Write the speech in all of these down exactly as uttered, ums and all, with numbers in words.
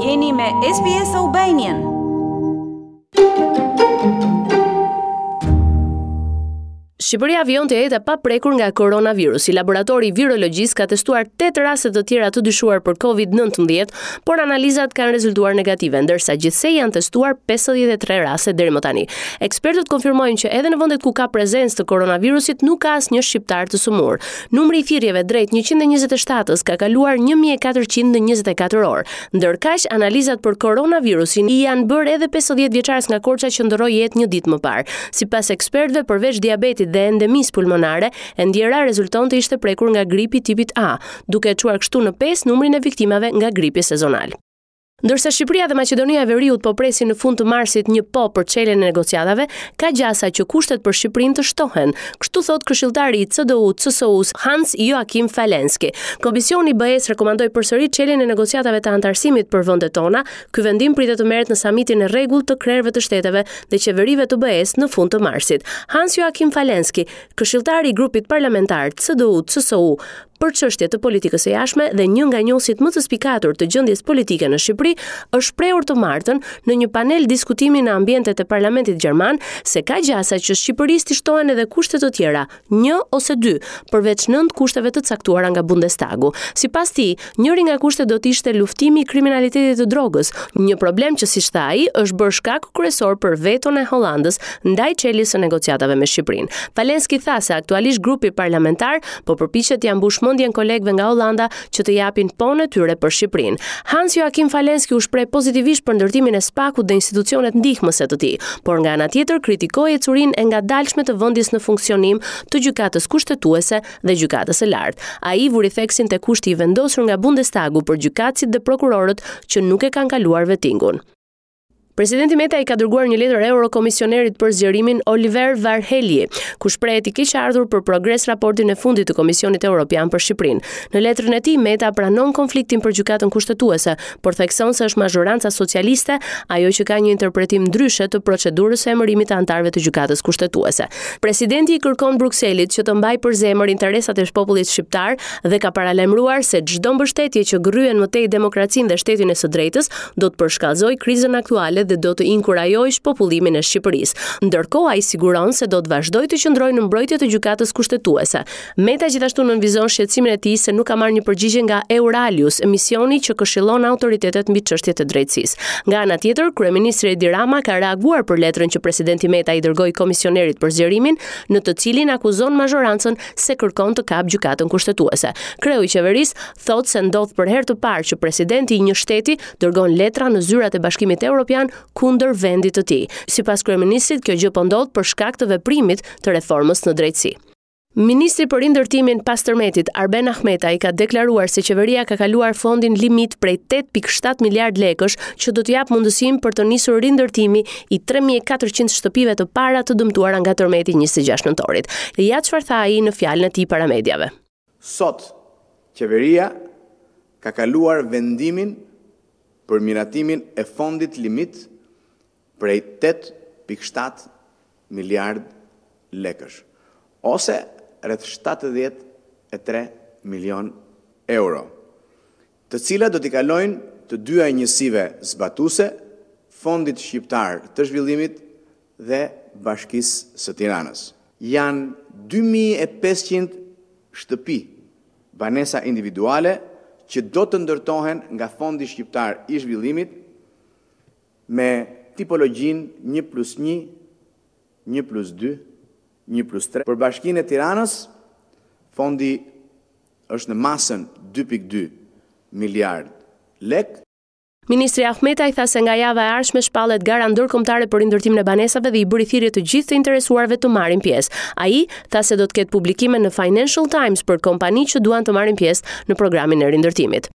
Jeni me S B S Albanian. Shqipëria vijon të jetë e paprekur nga koronavirusi. Laboratori i virologjisë ka testuar tetë raste të tjera të dyshuar për Covid nëntëmbëdhjetë, por analizat kanë rezultuar negative, ndërsa gjithsej janë testuar pesëdhjetë e tre raste deri më tani. Ekspertët konfirmojnë që edhe në vendet ku ka prezencë të koronavirusit nuk ka asnjë shqiptar të sëmurë. Numri i thirrjeve drejt njëqind e njëzet e shtatës ka kaluar një mijë e katërqind në njëzet e katër orë. Ndërkaq, analizat për koronavirusin i janë bërë edhe pesëdhjetë vjeçares nga Korça që ndërroi jetë një ditë më parë. Sipas ekspertëve, përveç diabetit dhe endemisë pulmonare, e ndjera rezulton të ishte prekur nga gripi tipit A, duke e çuar kështu në pesë numrin e viktimave nga gripi sezonal. Ndërsa Shqipëria dhe Maqedonia e Veriut po presin në fund të marsit një po për çeljen e negociatave, ka gjasa që kushtet për Shqipërinë të shtohen. Kështu thot këshilltari i C D U C S U-s Hans Joachim Falenski. Komisioni i B E-s rekomandoi përsëri çeljen e negociatave të anëtarësimit për vendet tona. Ky vendim pritet të merret në samitin e rregullt të krerëve të shteteve dhe qeverive të B E-s në fund të marsit. Hans Joachim Falenski, këshilltari i grupit parlamentar C D U C S U për çështje të politikës së jashtme dhe një nga njohësit më të spikatur të gjendjes politike në Shqipëri, është shprehur të martën në një panel diskutimi në ambientet e Parlamentit Gjerman se ka gjasa që Shqipërisë t'i shtohen edhe kushte të tjera, një ose dy, përveç nëntë kushteve të caktuara nga Bundestagu. Sipas tij, njëri nga kushtet do të ishte luftimi i kriminalitetit të drogës, një problem që, siç tha ai, është bërë shkak kryesor për veton e Hollandës ndaj çeljes së negociatave me Shqipërinë. Falenski tha se aktualisht grupi parlamentar po përpiqet t'ia mbush mendjen kolegëve nga Hollanda që të japin ponë e tyre për Shqipërinë. Hans Joachim Falenski u shpreh pozitivisht për ndërtimin e SPAK-ut dhe institucionet ndihmëse të tij, por nga ana tjetër kritikoi ecurinë e ngadalshme të vendjes në funksionim të Gjykatës Kushtetuese dhe Gjykatës së Lartë. Ai vuri theksin te kushti i vendosur nga Bundestagu për gjykatësit dhe prokurorët që nuk e kanë kaluar vetingun. Presidenti Meta i ka dërguar një letër eurokomisionerit për zgjerimin Oliver Varhelyi, ku shprehet i keqardhur për progres raportin e fundit të Komisionit Evropian për Shqipërinë. Në letrën e tij Meta pranon konfliktin për Gjykatën Kushtetuese, por thekson se është mazhoranca socialiste ajo që ka një interpretim ndryshe të procedurës së emërimit të anëtarëve të Gjykatës Kushtetuese. Presidenti i kërkon Brukselit që të mbajë për zemër interesat e popullit shqiptar dhe ka paralajmëruar se çdo mbështetje që gërryen më tej demokracinë dhe shtetin e së drejtës do të përshkallëzojë krizën aktuale dhe do të inkurajojë shpopullimin e Shqipërisë. Ndërkohë, ai siguron se do të vazhdojë të qëndrojë në mbrojtje të Gjykatës Kushtetuese. Meta gjithashtu nënvizon shqetësimin e tij se nuk ka marrë një përgjigje nga Euralius, misioni që këshillon autoritetet mbi çështjet e drejtësisë. Nga ana tjetër, kryeministri Edi Rama ka reaguar për letrën që presidenti Meta i dërgoi komisionerit për zgjerimin, në të cilin akuzon mazhorancën se kërkon të kap Gjykatën Kushtetuese. Kreu i qeverisë thotë se ndodh për herë të parë që presidenti i një shteti dërgon letra në zyrat e Bashkimit Evropian kundër vendit të tij. Sipas kryeministrit, kjo gjë po ndodh për shkak të veprimit të reformës në drejtësi. Ministri për rindërtimin pas tërmetit, Arben Ahmetaj, ka deklaruar se qeveria ka kaluar fondin limit prej tetë pikë shtatë miliard lekësh që do të japë mundësinë për të nisur rindërtimi i tre mijë e katërqind shtëpive të para të dëmtuara nga tërmeti i njëzet e gjashtë nëntorit. Ja çfarë tha ai në fjalën e tij para mediave. Sot, qeveria ka kaluar vendimin për miratimin e fondit limit prej tetë pikë shtatë miliard lekësh, ose rreth shtatëdhjetë e tre milion euro, të cilat do t'i kalojnë të dyja njësive zbatuese, Fondit Shqiptar të Zhvillimit dhe Bashkisë së Tiranës. Janë dy mijë e pesëqind shtëpi, banesa individuale, që do të ndërtohen nga Fondi Shqiptar i Zhvillimit me tipologjinë një plus një, një plus dy, një plus tre. Për Bashkinë e Tiranës, fondi është në masën dy pikë dy miliard lek. Ministri Ahmetaj tha se nga java e ardhshme shpallet gara ndërkombëtare për rindërtimin e banesave dhe i bëri thirrje të gjithë të interesuarve të marrin pjesë. Ai tha se do të ketë publikime në Financial Times për kompani që duan të marrin pjesë në programin e rindërtimit.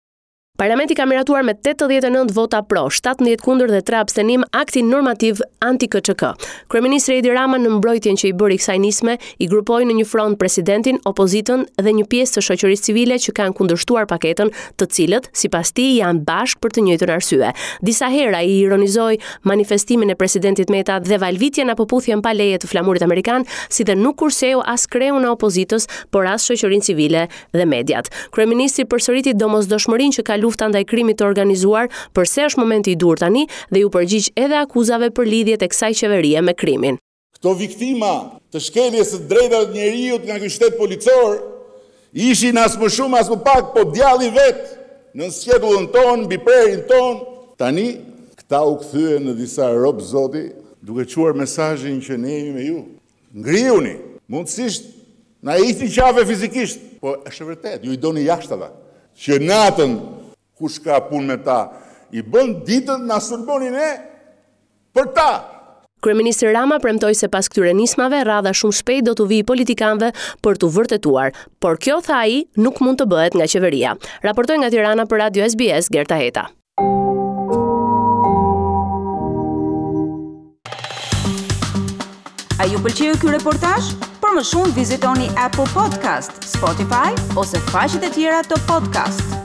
Parlamenti ka miratuar me tetëdhjetë e nëntë vota pro, shtatëmbëdhjetë kundër dhe tre abstenim aktin normativ anti-K Ç K. Kryeministri Edi Rama, në mbrojtjen që i bëri kësaj nisme, i grupoi në një front presidentin, opozitën dhe një pjesë të shoqërisë civile që kanë kundërshtuar paketën, të cilët, sipas tij, janë bashkë për të njëjtën arsye. Disa herë ai ironizoi manifestimin e presidentit Meta dhe valvitjen apo puthjen pa leje të flamurit amerikan, si dhe nuk kurseu as kreun e opozitës, por as shoqërinë civile dhe mediat. Kryeministri përsëriti domosdoshmërinë që ka lufta ndaj krimit të organizuar, përse është momenti i duhur tani dhe iu përgjigj edhe akuzave për lidhjet e kësaj qeverie me krimin. Këto viktima të shkeljes së drejtave të njeriut nga ky shtet policor ishin as më shumë as më pak, po djalli vetë në sqetullën tonë, mbi prehrin tonë. Tani këta u kthyen në disa rob zoti, duke çuar mesazhin që ne jemi me ju. Ngrihuni, mundësisht na hiqni qafe fizikisht, po është e vërtetë, ju i doni jashtë ata. Që natën kush ka punë me ta, i bën ditën na sulmoni ne për ta. Kryeministri Rama premtoi se pas këtyre nismave radha shumë shpejt do t'u vijë politikanëve për t'u vërtetuar, por kjo tha ai nuk mund të bëhet nga qeveria. Raportoi nga Tirana për Radio S B S Gerta Heta. A ju pëlqeu ky reportazh? Për më shumë vizitoni Apple Podcast, Spotify ose faqet e tjera të podcast.